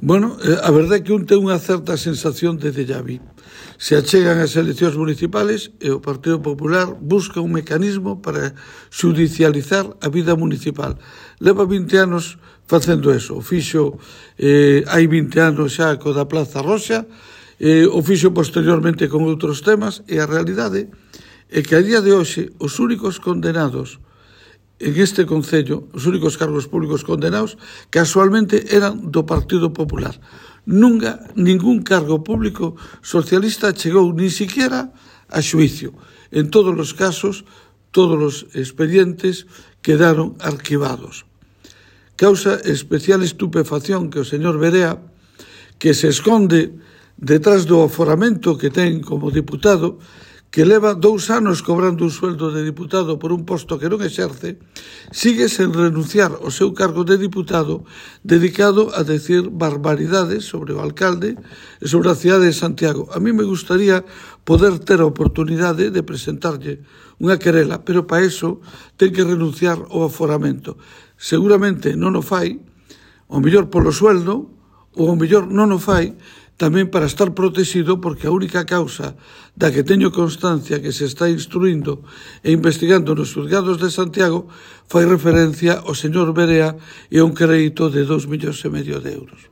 Bueno, a verdade é que un ten unha certa sensación de déjà vu. Se achegan as eleccións municipales e o Partido Popular busca un mecanismo para xudicializar a vida municipal. Leva 20 anos facendo eso. O fixo hai 20 anos xa co da Plaza Roxa, o fixo posteriormente con outros temas, e a realidade é que a día de hoxe os únicos condenados en este concello, os únicos cargos públicos condenados, casualmente eran do Partido Popular. Nunca, ningún cargo público socialista chegou ni siquiera a xuicio. En todos os casos, todos os expedientes quedaron arquivados. Causa especial estupefacción que o señor Berea, que se esconde detrás do aforamento que ten como diputado, que leva 2 anos cobrando un sueldo de diputado por un posto que non exerce, sigue sen renunciar ao seu cargo de diputado dedicado a decir barbaridades sobre o alcalde e sobre a cidade de Santiago. A mí me gustaría poder ter a oportunidade de presentarlle unha querela, pero para eso ten que renunciar ao aforamento. Seguramente non o fai, o mellor polo sueldo, ou o mellor non o fai tamén para estar protegido, porque a única causa da que teño constancia que se está instruindo e investigando nos xulgados de Santiago fai referencia ao señor Berea e a un crédito de 2,5 millóns de euros.